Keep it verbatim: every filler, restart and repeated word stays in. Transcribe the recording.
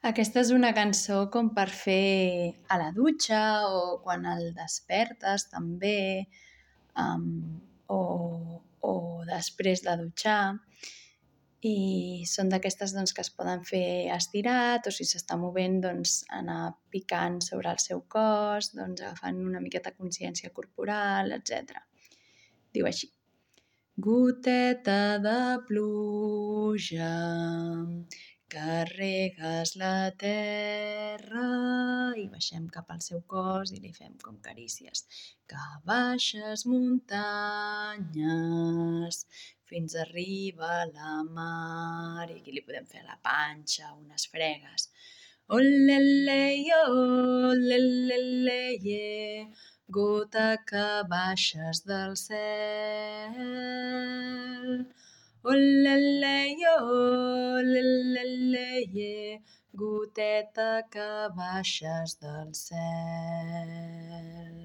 Aquesta és una cançó com per fer a la dutxa o quan el despertes també, um, o, o després de dutxar. I són d'aquestes doncs, que es poden fer estirat o si s'està movent doncs, anar picant sobre el seu cos, doncs, agafant una miqueta consciència corporal, etcètera. Diu així. Goteta de pluja que regues la terra i baixem cap al seu cos i li fem com carícies. Que baixes muntanyes fins a arribar a la mar i aquí li podem fer a la panxa unes fregues. Olele-yo, olele-le-ye, gota que baixes del cel. Olele-yo, olele-le-ye, goteta que baixes del cel.